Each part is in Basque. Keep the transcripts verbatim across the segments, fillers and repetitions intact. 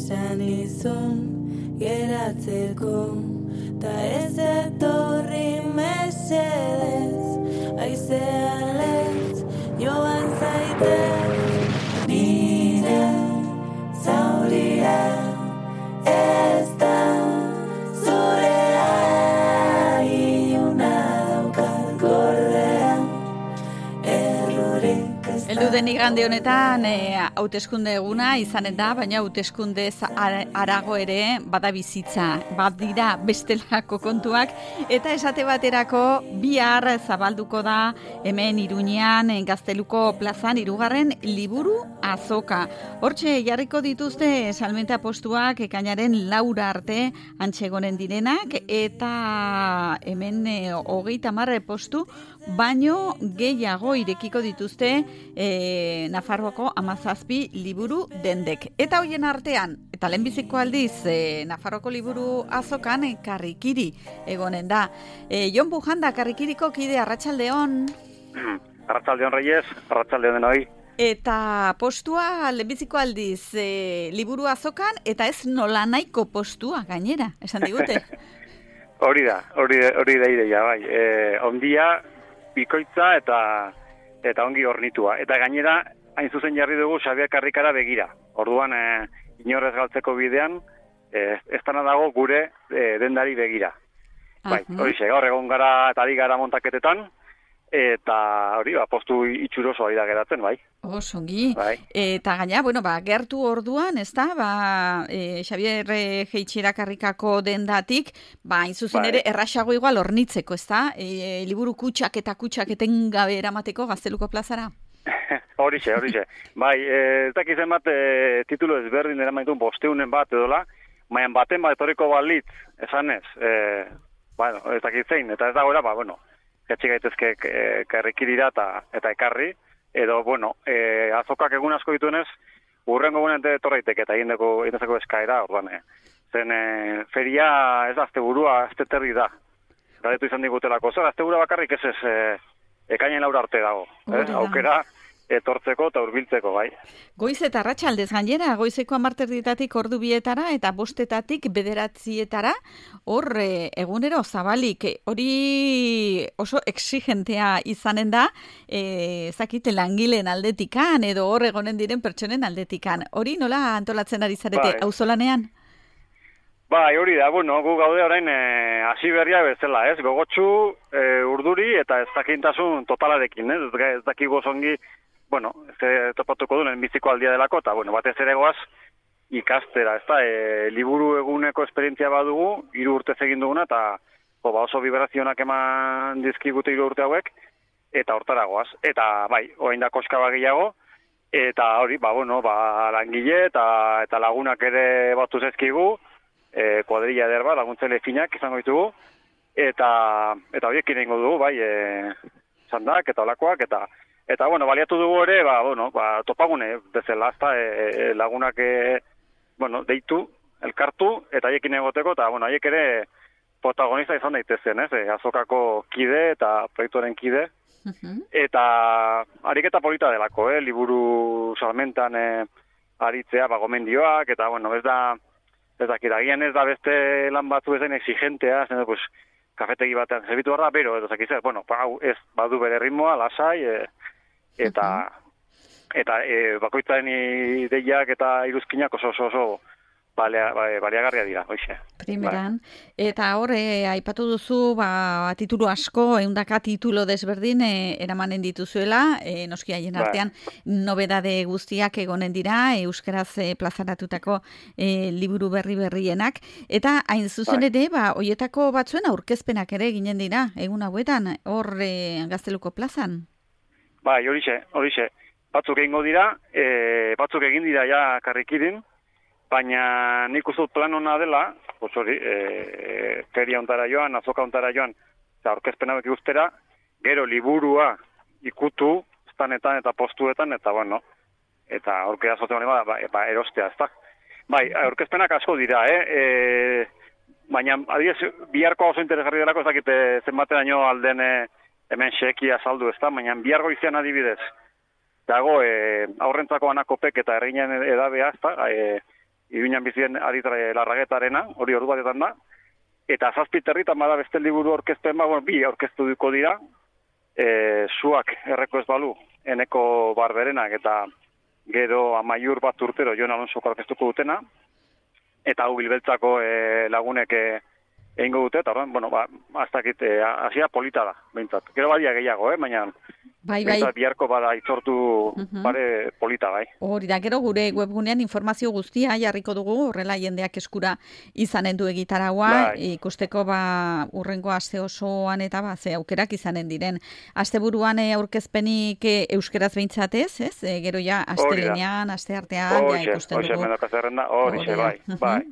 esan izun geratzeko, ta ez etorri mesedez, aizean lez joan zaitez, nire zauria ez da zurea, iuna daukat gordea, errorik ez da. Heldu den igande honetan e, hauteskunde eguna izanen da, baina hauteskunde arago ere bada bizitza, bat dira bestelako kontuak, eta esate baterako bihar zabalduko da hemen Iruñean Gazteluko plazan hirugarren liburu azoka. Hortxe jarriko dituzte salmenta postuak ekainaren laura arte antxegonen direnak, eta hemen e, hogeita hamar postu baino gehiago irekiko dituzte e, Nafarroako hamazazpi liburu dendek. Eta hoien artean, eta lehenbiziko aldiz e, Nafarroako liburu azokan e, Karrikiri egonen da. E, Jon Bujanda, Karrikiriko kide, arratsaldeon. Arratsaldeon Reyes, arratsaldeon denoi. Eta postua lehenbiziko aldiz e, liburu azokan, eta ez nolanahiko postua gainera, esan digute. Hori da, hori hori da ideia, bai. E, ondia, bikoitza eta eta ongi hornitua. Eta gainera, hain zuzen jarri dugu Xabier Karrikara begira. Orduan, e, inorrez galtzeko bidean, e, ez dana dago gure e, dendari begira. Bai, hori xe, gaur egon gara eta ari gara montaketetan, eta hori, ba, postu itxuroso ari da geratzen, bai. Osongi. Bai. Eta gaina, bueno, ba, gertu orduan, ez da, ba, e, Xabier Jeitxera Karrikako dendatik, ba, hain zuzen Bai. ere, erraxago igual hornitzeko, ez da? E, liburu kutsak eta kutsak etengabe eramateko Gazteluko plazara? Horixe, horixe. Bai, ez dakizen bat e, titulu ezberdin eramaitun bosteunen bat edola, maian baten bat etorriko balitz, esanez, e, bueno, ez dakizein, eta ez dagoela, ba, bueno, etxe gaitezke e, Karrikirira eta, eta ekarri, edo, bueno, e, azokak egun asko dituenez, urrengo egunen etorreitek eta egindeko egindezeko eskaera, orduan, e, zen e, feria ez da, asteburua, asteterri da, garetu izan digutelako, zer, asteburua bakarrik ez ez, e, ekainen laura arte dago, eh? Aukera etortzeko eta hurbiltzeko, bai. Goiz eta arratsaldez gainera, goizeko hamarterdietatik ordu bietara eta bostetatik bederatzietara, hor e, egunero zabalik, hori oso exigentea izanen da, e, zakite langileen aldetikan, edo hor egonen diren pertsonen aldetikan. Hori nola antolatzen ari zarete, bai. auzolanean? Bai, hori da, bueno, gu gaude orain hasi e, berria bezala, ez? Gogotsu, e, urduri eta ez dakintasun totalarekin, ez? Ez dakigu zongi, bueno, ez topatuko duen biziko aldia delako, eta, bueno, batez ere goaz ikastera, ez da, e, liburu eguneko esperientzia badugu, hiru urtez egin duguna, eta jo, ba, oso vibrazionak eman dizkigute hiru urte hauek, eta hortara goaz. Eta, bai, orain da koska bagiago, eta hori, ba, bueno, ba, langile eta, eta lagunak ere batu zezkigu, E, kuadrilla ederba, laguntzaile finak izango ditugu, eta eta horiek inengo dugu, bai, e, zandak eta olakoak, eta eta bueno, baliatu dugu ere, ba, bueno, ba, topagune bezala, ezta, e, lagunak e, bueno, deitu, elkartu, eta haiekin egoteko, eta bueno, haiek ere protagonista izan daitezen, ez, e, azokako kide eta proiektuaren kide, uh-huh. Eta ariketa polita delako, eh, liburu salmentan e, aritzea, ba, gomendioak, eta bueno, ez da Ez dakit, agian ez da beste lan batzu ezen exigentea, zen, pues, kafetegi batean zerbitu barra, bero, edo zakizet, bueno, hau ez badu bere ritmoa, lasai, e, eta, uh-huh. eta e, bakoitzaren ideiak eta iruzkinak oso oso oso balea, baliagarria dira, hoxe. Primeran, bai. Eta hor, e, aipatu duzu, ba, titulu asko, eundaka titulo desberdin e, eramanen dituzuela, e, noski haien artean, bai. Nobedade guztiak egonen dira, euskaraz e, plazaratutako e, liburu berri berrienak, eta hain zuzen bai. Ere, ba, hoietako batzuen aurkezpenak ere ginen dira, egun hauetan, hor e, Gazteluko plazan. Bai, horixe, horixe, batzuk egingo dira, e, batzuk egin dira ja Karrikirin, baina nik uste plan hona dela, pues hori, e, feria ontara joan, azoka ontara joan, eta orkezpen hauek ikustera, gero liburua ikutu, estanetan eta postuetan, eta bueno, eta aurkera zote honi bada, ba, ba, erostea, ez da. Bai, orkezpenak asko dira, eh? E, baina, adiez, biharko oso interesgarri delako, ez dakite zenbateraino alden e, hemen xekia saldu, ez da, baina bihargo izan adibidez, dago, e, aurrentzako anakopek eta erginen edabea, ez da, e, Iruñan bizien Aditare Larragetarena, hori ordu batetan da, eta zazpi territan bada beste liburu orkezpen, ba, bueno, bi orkeztuko dira, e, zuak erreko ez balu, eneko barberenak, eta gero amaiur bat urtero Jon Alonsoko orkestuko dutena, eta hau bilbeltzako e, lagunek e, egingo dute, eta horren, bueno, ba, aztakit, e, hasia polita da, behintzat. Gero badia gehiago, eh, baina bai, bai. behintzat biharko bada itzortu Uh-huh. bare polita, bai. Hori da, gero gure webgunean informazio guztia jarriko dugu, horrela jendeak eskura izanen du egitaragoa, Bai. ikusteko ba urrengo aste osoan eta ba ze aukerak izanen diren. Asteburuan e, aurkezpenik e, euskeraz behintzatez, ez? E, gero ja astelenean, asteartean ja ikusten Horixe, dugu. mendaka zerrenda, horixe, bai, Uh-huh. bai.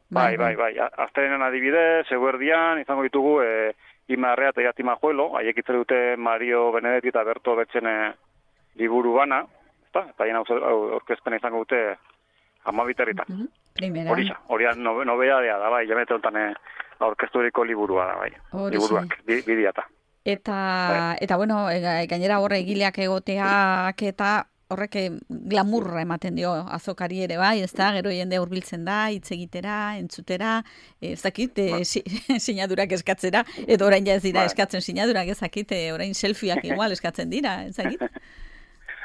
Bai, bai, bai. Astelenean adibidez, eguerdian, izango ditugu, e, Imarrea eta Iatima Juelo, haiek itzere dute Mario Benedetti eta Berto Betxene liburu bana, eta haien aurkezpena izango dute amabiterritan. Uh-huh. Primera. Horixa, hori nobe, nobedadea da, bai, jamete honetan e, aurkezturiko liburua da, bai. Horixe. Liburuak, bi, bidiata. Eta, Bai. eta bueno, e, gainera horre egileak egoteak eta horrek glamurra ematen dio azokari ere bai, ez da, gero jende hurbiltzen da, hitz egitera, entzutera, ez dakit, e, si, sinadurak eskatzera, edo orain ja ez dira Bai. eskatzen sinadurak, ez dakit, e, orain selfieak igual eskatzen dira, ez dakit?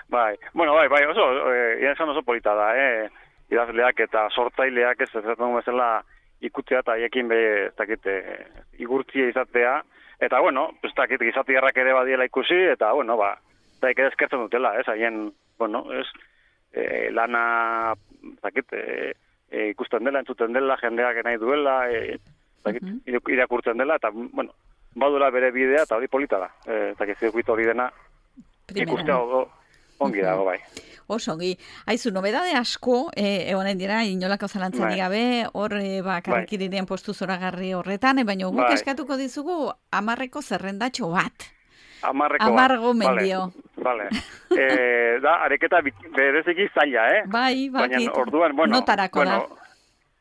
Bai, bueno, bai, bai, oso, e, esan oso polita da, eh? Idazleak eta sortzaileak ez ez dugu bezala ikutzea eta haiekin be, ez dakit, e, igurtzia izatea, eta bueno, ez dakit, gizatiarrak ere badiela ikusi, eta bueno, ba, eta ere eskertzen dutela, ez, haien, bueno, ez, e, lana, ez dakit, e, e, ikusten dela, entzuten dela, jendeak nahi duela, e, ez dakit, uh-huh. irakurtzen dela, eta, bueno, badula bere bidea, eta hori polita da, e, ez dakit, zirkuito hori dena, ikustea odo, ongi dago, bai. Oso, ongi. Aizu, nobedade asko, e, egonen dira, inolako zalantzarik Bai. gabe, hor, e, ba, karrikiriren postu zoragarri horretan, e, baina guk Bai. eskatuko dizugu amarreko zerrendatxo bat. Amarreko Amargo bat. mendio. Vale, vale. E, da, areketa bi- bereziki zaila, eh? Bai, Baina bakit. orduan, bueno, Notarako bueno,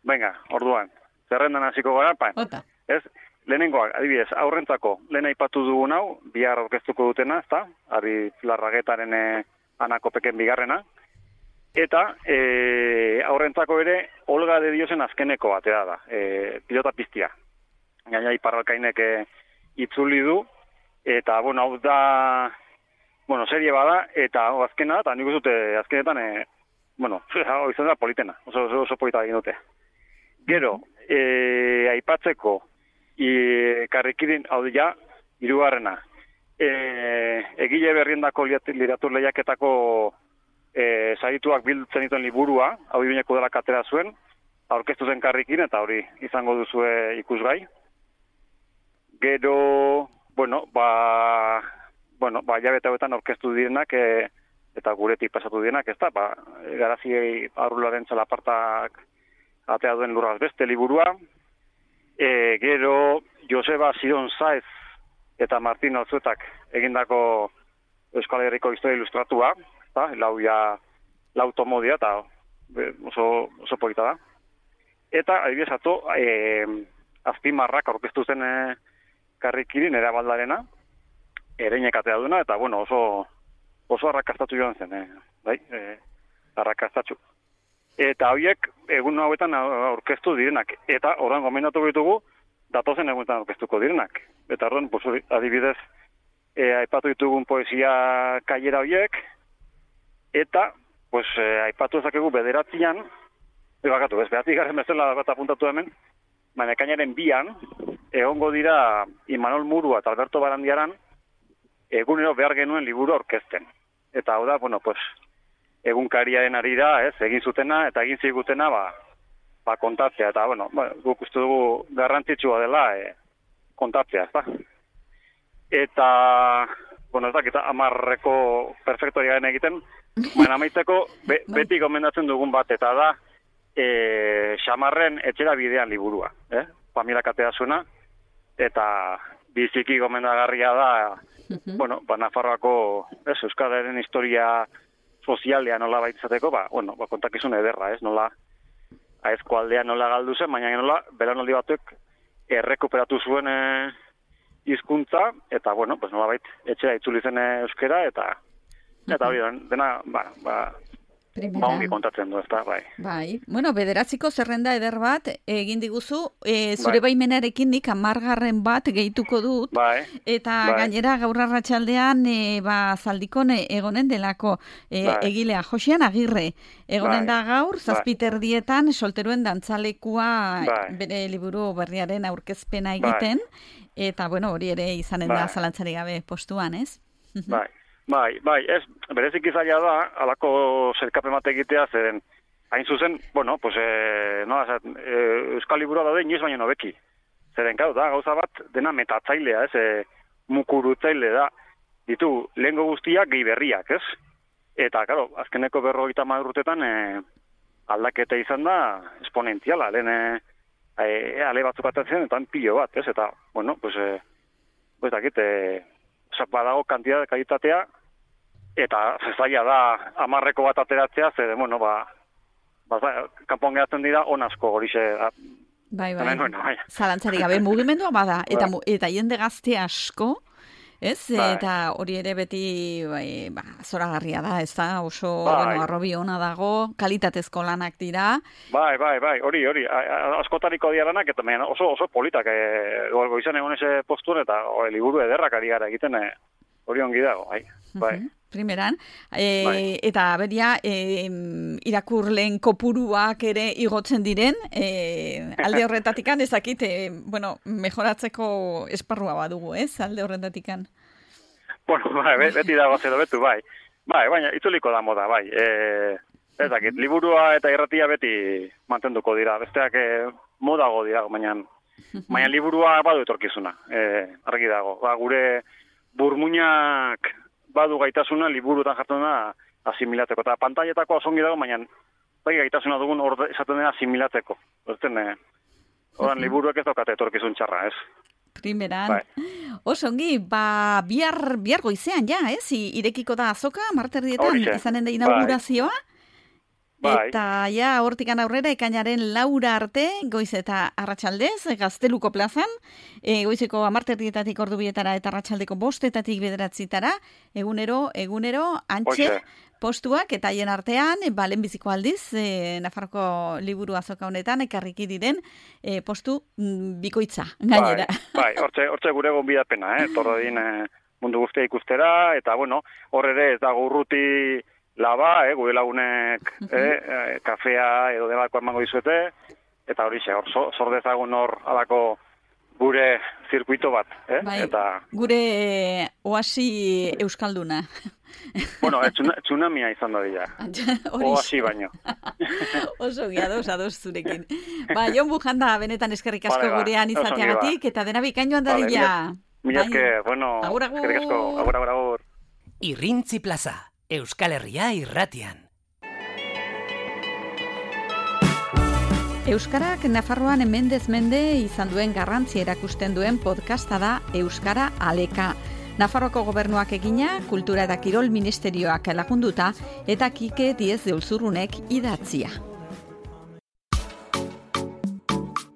venga, orduan, zerrendan hasiko gara, pa, da. Ota. ez, lehenengoak, adibidez, aurrentzako, lehen aipatu dugun hau, bihar aurkeztuko dutena, ezta, Ari Larragetaren e, anakopeken bigarrena, eta e, aurrentzako ere, Olga de Diosen azkeneko batea da, e, pilota piztia. Gaina Iparralkainek e, itzuli du, eta, bueno, hau da, bueno, serie bada, eta hau azkena da, eta nik uzute azkenetan, e, bueno, hau izan da politena, oso, oso, oso polita egin dute. Gero, e, aipatzeko, e, karrikirin, hau ja, hirugarrena, e, egile berriendako literatur lehiaketako e, sarituak biltzen dituen liburua, hau Iruñeko dela katera zuen, aurkeztu zen karrikin, eta hori izango duzue ikusgai. Gero, bueno, ba, bueno, ba, jabete hauetan aurkeztu direnak, e, eta guretik pasatu direnak, ez da, ba, garazi arrularen txalapartak atea duen lurraz beste liburua, e, gero Joseba Zion Saez eta Martin Alzuetak egindako Euskal Herriko historia ilustratua, eta lau ja, lau tomodia, eta be, oso, oso polita da. Eta, adibidez, ato, e, azpimarrak aurkeztu zen e, karrikirin erabaldarena, ereinek atea duena, eta, bueno, oso, oso arrakastatu joan zen, e, bai, e, arrakastatxu. Eta horiek, egun hauetan aurkeztu direnak, eta orain gomendatu ditugu, datozen egunetan aurkeztuko direnak. Eta horren, pues, adibidez, e, aipatu ditugun poesia kailera horiek, eta, pues, e, aipatu ezakegu bederatzian, ebakatu, ez, behatzi garen bezala bat apuntatu hemen, baina ekainaren bian, egongo dira Imanol Murua eta Alberto Barandiaran, egunero behar genuen liburu aurkezten. Eta hau da, bueno, pues, egunkariaren ari da, ez, egin zutena, eta egin zigutena, ba, ba kontatzea, eta, bueno, ba, guk uste dugu garrantzitsua dela e, kontatzea, ez da. Eta, bueno, ez dakita, amarreko perfektoria garen egiten, baina amaitzeko, be, beti gomendatzen dugun bat, eta da, e, Xamarren etxera bidean liburua, eh? Pamela katea zuena, eta biziki gomendagarria da, uh-huh. bueno, ba, Nafarroako, ez, Euskararen historia sozialea nola baitzateko, ba, bueno, ba, kontakizun ederra, ez, nola, aezko aldea nola galdu zen, baina nola, beranaldi batek errekuperatu zuen e, hizkuntza, eta, bueno, pues nola bait, etxera itzuli zen euskera, eta, eta hori, dena, ba, ba, Primera. Ba, ongi kontatzen du, ez da, bai. Bai, bueno, bederatziko zerrenda eder bat egin diguzu, e, zure Bai. baimenarekin nik amargarren bat gehituko dut, Bai. eta Bai. gainera gaur arratsaldean e, ba, zaldikon e, egonen delako e, Bai. egilea, Josean Agirre, egonen Bai. da gaur, zazpiterdietan solteruen dantzalekua Bai. bere liburu berriaren aurkezpena egiten, eta bueno, hori ere izanen da Bai. zalantzari gabe postuan, ez? Bai. Bai, bai, ez, berezik izaila da, alako zerkapen bat egitea, zeren, hain zuzen, bueno, pues, e, no, zat, e, Euskal Liburua daude inoiz baino nobeki. Zeren, gau, da, gauza bat, dena metatzailea, ez, e, mukurutzaile da, ditu, lehengo guztiak gehi berriak, ez? Eta, karo, azkeneko berrogeita hamar urtetan, e, aldaketa izan da, esponentziala, lehen, e, e, ale batzuk atatzen, eta pilo bat, ez? Eta, bueno, pues, e, pues, dakit, e, badago kantitate kalitatea, eta zaila da hamarreko bat ateratzea, zede, bueno, ba, ba, kanpoan geratzen dira on asko horixe. Bai, bai, Hemen, bueno, bai. zalantzari gabe mugimendua bada, eta, Bai. mu- eta jende gazte asko, ez? Bai. Eta hori ere beti bai, ba, zoragarria da, ez da? Oso, Bai. bueno, arrobi ona dago, kalitatezko lanak dira. Bai, bai, bai, hori, hori, a- a- askotariko diaranak, eta baina oso, oso politak, e, goizan egon ese postuen, eta o, liburu ederrak ari gara egiten, e, hori ongi dago, bai, bai. Mhm, primeran, e, Bai. eta beria e, irakurleen kopuruak ere igotzen diren, e, alde horretatikan ezakit, e, bueno, mejoratzeko esparrua badugu, ez? Alde horretatikan. Bueno, bai, be- beti dago zedo betu, bai. Bai, baina itzuliko da moda, bai. E, ez dakit, liburua eta irratia beti mantenduko dira. Besteak e, modago dira, baina, baina liburua badu etorkizuna. E, argi dago. Ba, gure burmuinak badu gaitasuna liburutan jartzen da asimilatzeko. Eta pantailetako osongi dago, baina bai gaitasuna dugun orde esaten dena asimilatzeko. Horten, e, Oran, liburuek ez daukate etorkizun txarra, ez? Primeran. Bai. Osongi, ba, bihar, bihar goizean, ja, ez? I- Irekiko da azoka, marterdietan, Horixe. izanen da inaugurazioa. Bai. Eta, ja, hortikan aurrera, ekainaren laura arte, goiz eta arratsaldez, Gazteluko plazan, e, goizeko amarterdietatik ordu bietara eta arratsaldeko bostetatik bederatzitara, egunero, egunero, antxe, Hoxe. postuak, eta haien artean, e, ba, lehenbiziko aldiz, e, Nafarroko liburu azoka honetan, ekarriki diren e, postu mm, bikoitza, gainera. Bai, bai, hortxe, hortxe gure gonbidapena, eh? Torrodin eh, mundu guztia ikustera, eta bueno, hor ere ez dago urruti laba, eh? Gure lagunek eh? eh, kafea edo delako emango dizuete, eta hori xe, hor so- sor dezagun hor alako gure zirkuito bat, eh? Bai, Eta, gure oasi euskalduna. bueno, eh, tsuna- tsunamia izan da dira. Horixe. Oasi baino. Oso giados, ados zurekin. Ba, Jon Bujanda, benetan eskerrik asko Vale, ba, gurean oso ongi izateagatik, eta dena bikain joan Vale, dadila. Mila Bai. esker, bueno, Agur, agur. eskerrik asko, agur, agur, agur. Irrintzi plaza, Euskal Herria irratian. Euskarak Nafarroan mendez mende izan duen garrantzia erakusten duen podcasta da Euskara Aleka. Nafarroako gobernuak egina, Kultura eta Kirol Ministerioak lagunduta, eta Kike Diez de Ulzurunek idatzia.